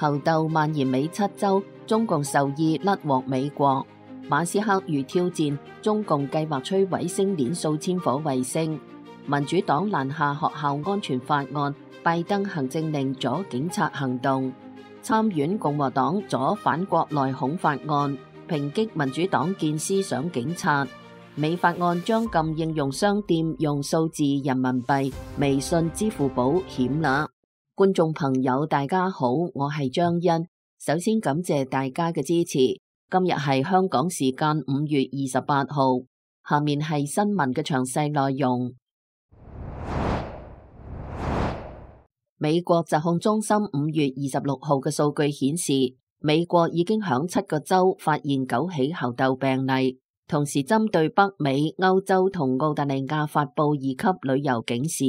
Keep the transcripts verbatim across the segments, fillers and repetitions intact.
猴痘蔓延美七州，中共授意甩鍋美國。馬斯克如挑戰，中共計劃摧毀星鏈數千顆衛星。民主黨攔下學校安全法案，拜登行政令阻警察行動。參院共和黨阻反國內恐法案，抨擊民主黨建思想警察。美法案將禁應用商店用數字人民幣、微信、支付寶險啦。觀眾朋友大家好，我係張欣，首先感謝大家嘅支持。今日係香港時間五月二十八號，下面係新聞嘅詳細內容。美國疾控中心五月二十六號嘅數據顯示，美國已經響七個州發現九起猴痘病例，同時針對北美、歐洲同澳大利亞發佈二級旅遊警示。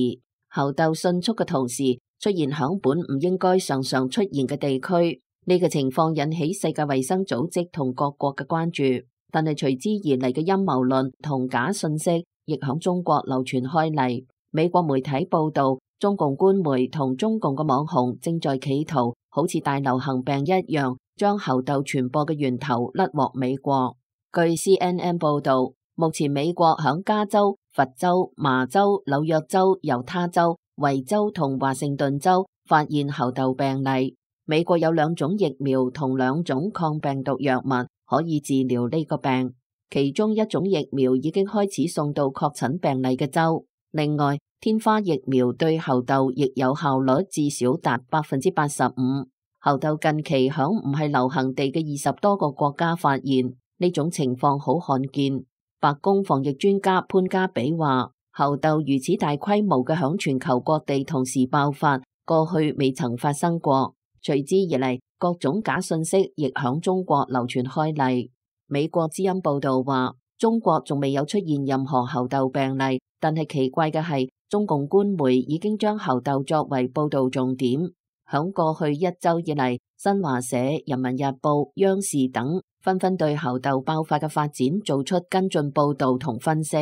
猴痘迅速嘅同時出現響本唔應該常常出現嘅地區。呢個情況引起世界衛生組織同各國嘅關注，但係隨之而嚟嘅陰謀論同假信息亦響中國流傳開嚟。美國媒體報道，中共官媒同中共嘅網紅正在企圖好似大流行病一樣，將猴痘傳播嘅源頭甩鍋美國。據 C N N 報道，目前美國響加州、佛州、麻州、紐約州、猶他州、維州同華盛頓州發現猴痘病例。美國有兩種疫苗同兩種抗病毒藥物可以治療呢個病，其中一種疫苗已經開始送到確診病例嘅州。另外，天花疫苗對猴痘亦有效率至少達百分之八十五。猴痘近期響唔係流行地嘅二十多個國家發現，呢種情況好罕見。白宮防疫專家潘加比話，猴痘如此大規模嘅響全球各地同時爆發，過去未曾發生過。隨之而嚟，各種假信息亦響中國流傳開嚟。美國之音報道話，中國仲未有出現任何猴痘病例，但係奇怪嘅係，中共官媒已經將猴痘作為報道重點。響過去一周以嚟，新華社、人民日報、央視等紛紛對猴痘爆發嘅發展做出跟進報道同分析，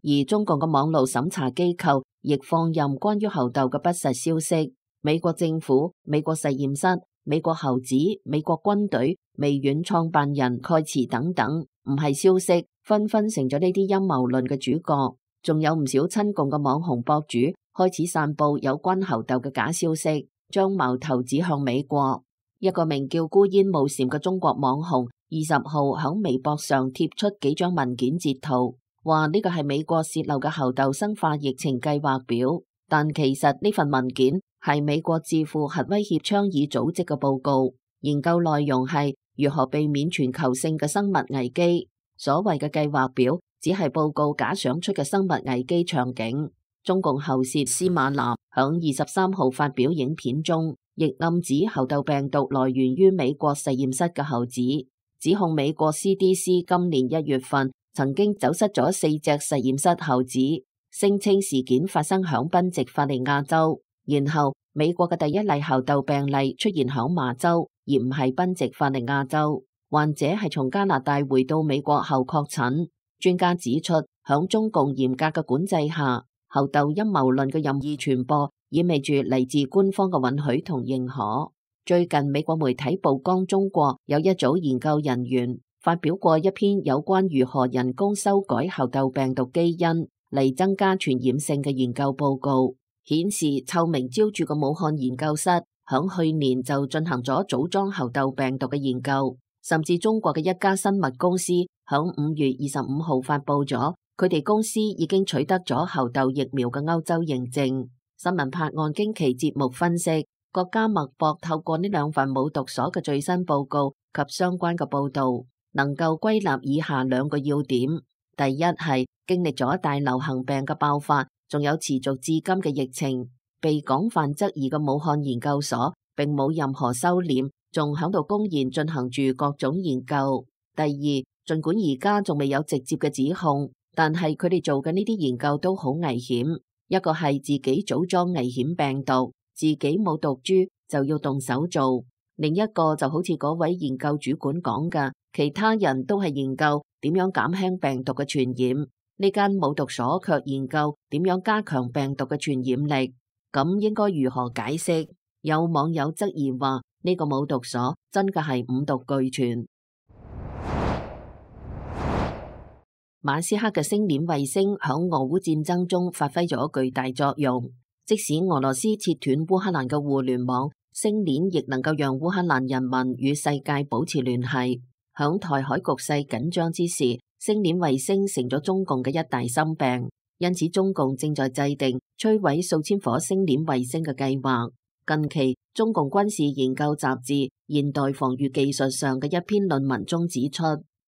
而中共嘅網絡審查機構亦放任關於猴痘嘅不實消息。美國政府、美國實驗室、美國猴子、美國軍隊、微軟創辦人蓋茨等等，唔係消息，紛紛成咗呢啲陰謀論嘅主角。仲有唔少親共嘅網紅博主開始散布有關猴痘嘅假消息，將矛頭指向美國。一個名叫孤煙霧禪嘅中國網紅，二十號響微博上貼出幾張文件截圖，話呢個係美國洩漏嘅猴痘生化疫情計劃表，但其實呢份文件係美國智庫核威脅倡議組織嘅報告，研究內容係如何避免全球性嘅生物危機。所謂嘅計劃表只係報告假想出嘅生物危機場景。中共喉舌司馬南響二十三號發表影片中，亦暗指猴痘病毒來源於美國實驗室嘅猴子，指控美國 C D C 今年一月份曾經走失咗四隻實驗室猴子，聲稱事件發生響賓夕法尼亞州。然後美國嘅第一例猴痘病例出現響麻州，而唔係賓夕法尼亞州。患者係從加拿大回到美國後確診。專家指出，響中共嚴格嘅管制下，猴痘陰謀論嘅任意傳播意味住嚟自官方嘅允許同認可。最近美國媒體曝光中國有一組研究人員發表過一篇有關如何人工修改猴痘病毒基因嚟增加傳染性嘅研究報告，顯示臭名昭著嘅武漢研究室響去年就進行咗組裝猴痘病毒嘅研究，甚至中國嘅一家生物公司響五月二十五號發佈咗佢哋公司已經取得咗猴痘疫苗嘅歐洲認證。新聞拍案驚奇節目分析，國家脈搏透過呢兩份冇讀所嘅最新報告及相關嘅報道，能夠歸納以下兩個要點。第一係經歷咗大流行病嘅爆發，仲有持續至今嘅疫情，被廣泛質疑嘅武漢研究所並冇任何收斂，仲響度公然進行住各種研究。第二，儘管而家仲未有直接嘅指控，但係佢哋做嘅呢啲研究都好危險。一個係自己組裝危險病毒，自己冇毒株就要動手做；另一個就好似嗰位研究主管講嘅，其他人都係研究點樣減輕病毒嘅傳染，呢間冇毒所卻研究點樣加強病毒嘅傳染力。咁應該如何解釋？有網友質疑話，呢個冇毒所真嘅係五毒俱全。馬斯克嘅星鏈衛星響俄烏戰爭中發揮咗巨大作用，即使俄羅斯切斷烏克蘭嘅互聯網，星鏈亦能夠讓烏克蘭人民與世界保持聯繫。響台海局勢緊張之時，星鏈衛星成咗中共嘅一大心病，因此中共正在制定摧毀數千顆星鏈衛星嘅計劃。近期，中共軍事研究雜誌《現代防禦技術》上嘅一篇論文中指出，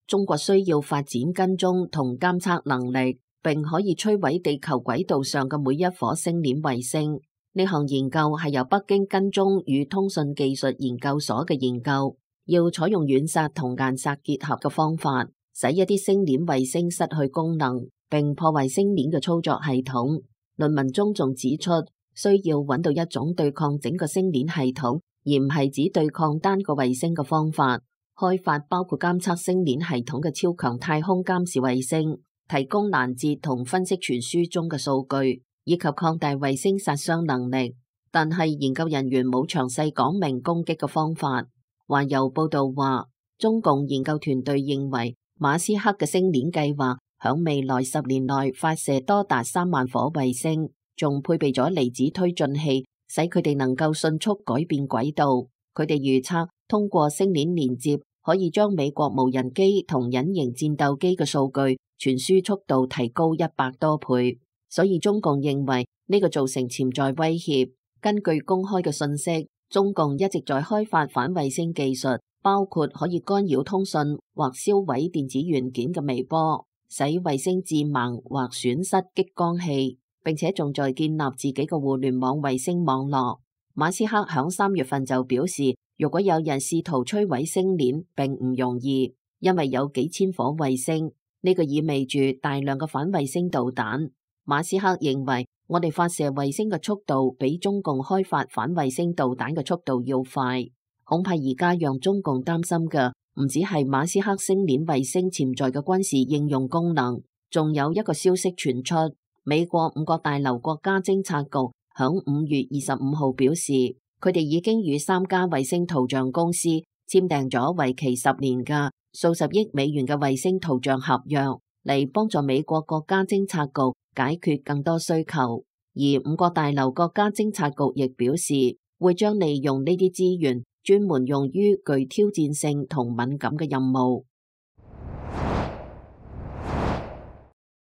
中國需要發展跟蹤同監測能力，並可以摧毀地球軌道上嘅每一顆星鏈衛星。呢項研究係由北京跟蹤與通訊技術研究所嘅研究，要採用遠殺同硬殺結合嘅方法，使一啲星鏈衛星失去功能，並破壞星鏈嘅操作系統。論文中仲指出，需要揾到一種對抗整個星鏈系統，而唔係只對抗單個衛星嘅方法。開發包括監測星鏈系統嘅超強太空監視衛星，提供攔截同分析傳輸中嘅數據，以及擴大衛星殺傷能力。但係研究人員冇詳細講明攻擊嘅方法。環遊報道話，中共研究團隊認為馬斯克嘅星鏈計劃響未來十年內發射多達三萬顆衛星，仲配備咗離子推進器，使佢哋能夠迅速改變軌道。佢哋預測通過星鏈連接，可以將美國無人機同隱形戰鬥機嘅數據傳輸速度提高一百多倍，所以中共認為呢個造成潛在威脅。根據公開嘅信息，中共一直在開發反衛星技術，包括可以干擾通訊或銷毀電子元件嘅微波，使衛星致盲或損失激光器，並且仲在建立自己嘅互聯網衛星網絡。馬斯克響三月份就表示，如果有人試圖摧毀星鏈，並唔容易，因為有幾千顆衛星，呢個意味住大量嘅反衛星導彈。馬斯克認為，我哋發射衛星嘅速度比中共開發反衛星導彈嘅速度要快。恐怕而家讓中共擔心嘅唔止係馬斯克星鏈衛星潛在嘅軍事應用功能，仲有一個消息傳出，美國五角大樓國家偵察局響五月二十五號表示，佢哋已經與三家衛星圖像公司簽訂咗為期十年嘅數十億美元嘅衛星圖像合約，嚟幫助美國國家偵察局解決更多需求。而五角大樓國家偵察局亦表示，會將利用呢啲資源專門用於具挑戰性同敏感嘅任務。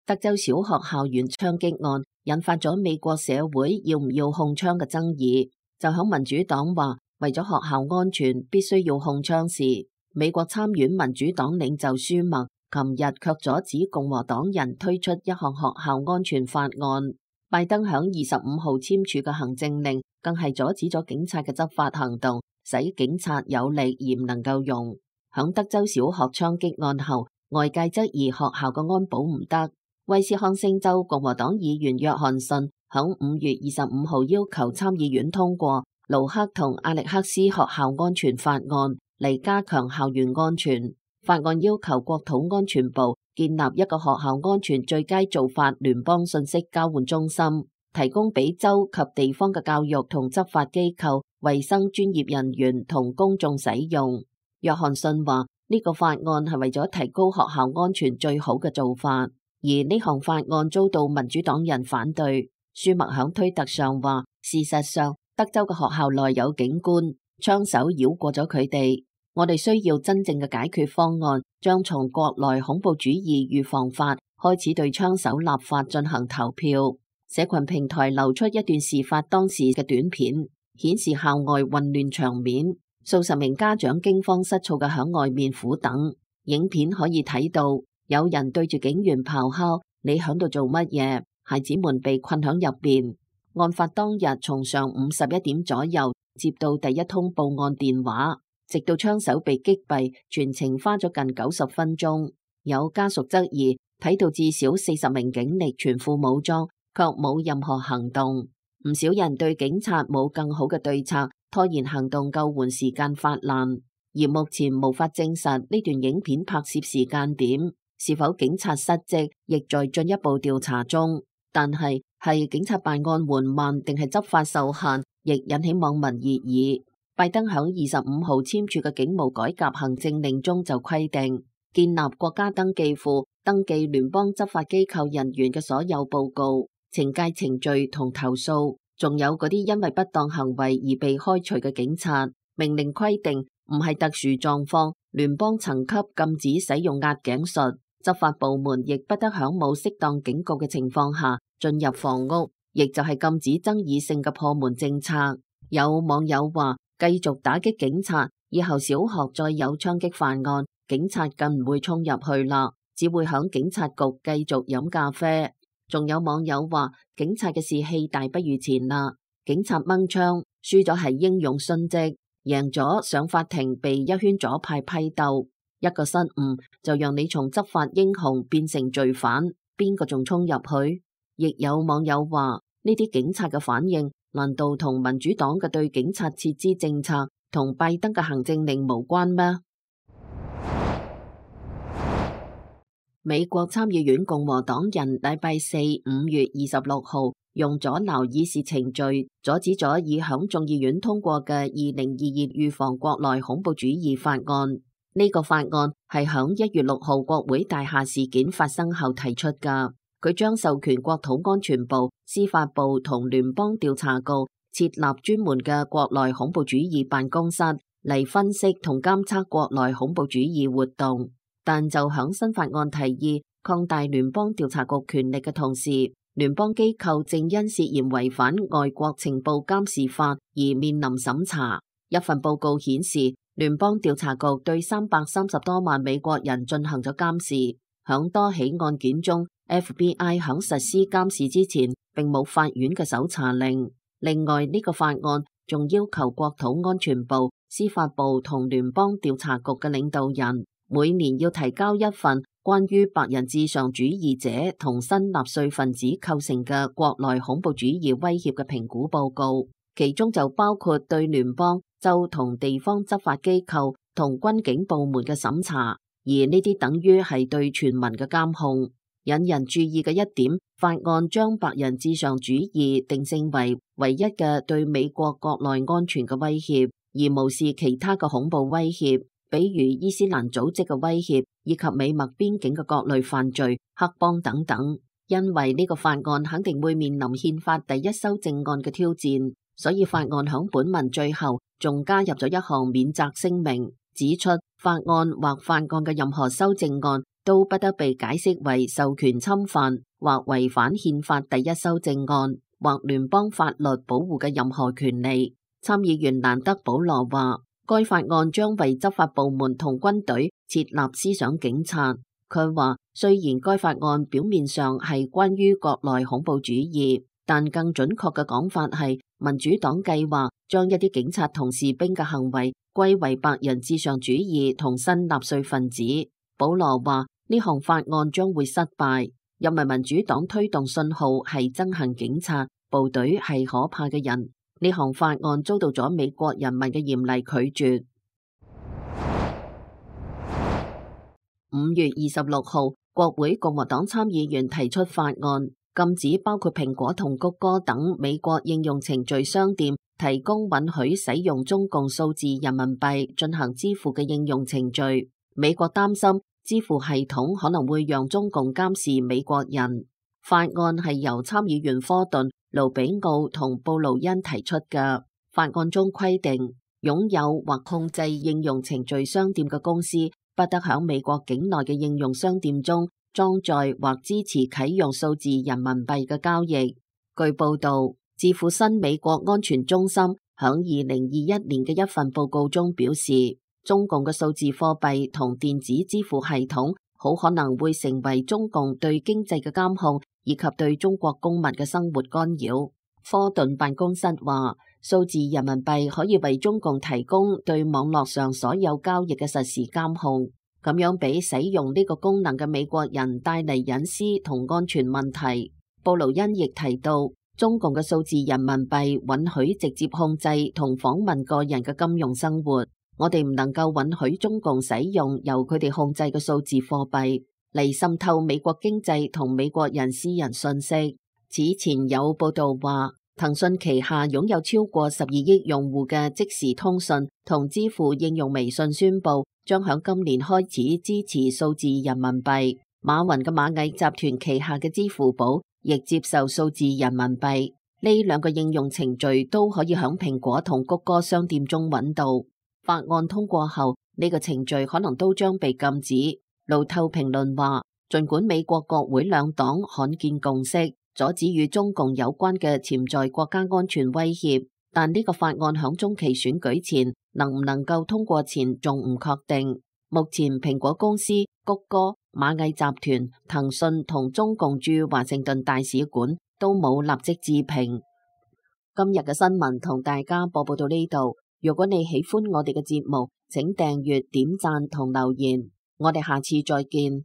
德州小學校園槍擊案引發咗美國社會要唔要控槍嘅爭議。就響民主黨話為咗學校安全必須要控槍時，美國參院民主黨領袖舒默琴日卻阻止共和黨人推出一項學校安全法案。拜登響二十五號簽署嘅行政令更係阻止咗警察嘅執法行動，使警察有力而唔能夠用。響德州小學槍擊案後，外界質疑學校嘅安保唔得。威斯康星州共和黨議員約翰遜響五月二十五號要求參議院通過盧克同阿力克斯學校安全法案，嚟加強校園安全。法案要求國土安全部建立一個學校安全最佳做法聯邦信息交換中心，提供俾州及地方嘅教育同執法機構、衛生專業人員同公眾使用。約翰遜話呢個法案係為咗提高學校安全最好嘅做法，而呢項法案遭到民主黨人反對。舒默響推特上話，事實上德州嘅學校內有警官，槍手繞過咗佢哋。我哋需要真正嘅解決方案，將從國內恐怖主義預防法開始對槍手立法進行投票。社群平台流出一段事發當時嘅短片，顯示校外混亂場面，數十名家長驚慌失措嘅響外面苦等。影片可以睇到有人對住警員咆哮：你響度做乜嘢？孩子們被困響入邊。案發當日從上午十一點左右接到第一通報案電話，直到槍手被擊斃，全程花咗近九十分鐘。有家屬質疑睇到至少四十名警力全副武裝，卻冇任何行動。唔少人對警察冇更好嘅對策，拖延行動救援時間發難。而目前無法證實呢段影片拍攝時間點，是否警察失職，亦在進一步調查中。但係係警察辦案緩慢定係執法受限，亦引起網民熱議。拜登響二十五號簽署嘅警務改革行政令中就規定，建立國家登記庫，登記聯邦執法機構人員嘅所有報告、懲戒程序同投訴，仲有嗰啲因為不當行為而被開除嘅警察。命令規定，唔係特殊狀況，聯邦層級禁止使用壓頸術，執法部門亦不得響冇適當警告嘅情況下進入房屋，亦就係禁止爭議性嘅破門政策。有網友話，繼續打擊警察，以後小學再有槍擊犯案，警察更唔會衝入去啦，只會響警察局繼續飲咖啡。仲有網友話，警察嘅士氣大不如前啦，警察掹槍，輸咗係英勇殉職，贏咗上法庭被一圈左派批鬥。一個失誤就讓你從執法英雄變成罪犯，邊個仲衝入去？亦有網友話，呢啲警察嘅反應，難道同民主黨嘅對警察撤資政策同拜登嘅行政令無關咩？美國參議院共和黨人禮拜四五月二十六號用阻撓議事程序，阻止咗已響眾議院通過嘅二零二二預防國內恐怖主義法案。呢個法案係響一月六號國會大廈事件發生後提出㗎。佢將授權國土安全部、司法部同聯邦調查局設立專門嘅國內恐怖主義辦公室嚟分析同監測國內恐怖主義活動。但就響新法案提議擴大聯邦調查局權力嘅同時，聯邦機構正因涉嫌違反外國情報監視法而面臨審查。一份報告顯示，聯邦調查局對三百三十多萬美國人進行咗監視。響多起案件中， F B I 響實施監視之前，並冇法院嘅搜查令。另外，呢個法案仲要求國土安全部、司法部同聯邦調查局嘅領導人每年要提交一份關於白人至上主義者同新納粹分子構成嘅國內恐怖主義威脅嘅評估報告，其中就包括對聯邦、州同地方執法機構同軍警部門嘅審查，而呢啲等於係對全民嘅監控。引人注意嘅一點，法案將白人至上主義定性為唯一嘅對美國國內安全嘅威脅，而無視其他嘅恐怖威脅，比如伊斯蘭組織嘅威脅，以及美墨邊境嘅各類犯罪、黑幫等等。因為呢個法案肯定會面臨憲法第一修正案嘅挑戰，所以法案響本文最後仲加入咗一項免責聲明，指出法案或法案嘅任何修正案都不得被解釋為授權侵犯或違反憲法第一修正案或聯邦法律保護嘅任何權利。參議員蘭德保羅話，該法案將為執法部門同軍隊設立思想警察。佢話，雖然該法案表面上係關於國內恐怖主義，但更準確嘅講法係民主黨計劃將一啲警察同士兵嘅行為歸為白人至上主義同新納粹分子。保羅話，呢項法案將會失敗，因為民主黨推動信號係憎恨警察，部隊係可怕嘅人。呢項法案遭到咗美國人民嘅嚴厲拒絕。五月二十六號，國會共和黨參議員提出法案，禁止包括蘋果同谷歌等美國應用程序商店提供允許使用中共數字人民幣進行支付嘅應用程序。美國擔心支付系統可能會讓中共監視美國人。法案係由參議員科頓、盧比奧同布魯恩提出嘅。法案中規定，擁有或控制應用程序商店嘅公司不得響美國境內嘅應用商店中裝載或支持啟用數字人民幣嘅交易。據報道，智庫新美國安全中心響二零二一年嘅一份報告中表示，中共嘅數字貨幣同電子支付系統好可能會成為中共對經濟嘅監控以及對中國公民嘅生活干擾。科頓辦公室話，數字人民幣可以為中共提供對網絡上所有交易嘅實時監控，咁樣俾使用呢個功能嘅美國人帶嚟隱私同安全問題。布魯恩亦提到，中共嘅數字人民幣允許直接控制同訪問個人嘅金融生活。我哋唔能夠允許中共使用由佢哋控制嘅數字貨幣嚟滲透美國經濟同美國人私人信息。此前有報道話，騰訊旗下擁有超過十二億用戶嘅即時通訊同支付應用微信宣布，將響今年開始支持數字人民幣。馬雲嘅螞蟻集團旗下嘅支付寶亦接受數字人民幣。呢兩個應用程序都可以響蘋果同谷歌商店中揾到。法案通過後，呢個程序可能都將被禁止。路透評論話，儘管美國國會兩黨罕見共識，阻止與中共有關嘅潛在國家安全威脅，但呢個法案響中期選舉前能唔能夠通過前仲唔確定。目前蘋果公司、谷歌、螞蟻集團、騰訊同中共駐華盛頓大使館都冇立即置評。今日嘅新聞同大家播報到呢度。如果你喜歡我哋嘅節目，請訂閱、點讚同留言。我哋下次再見。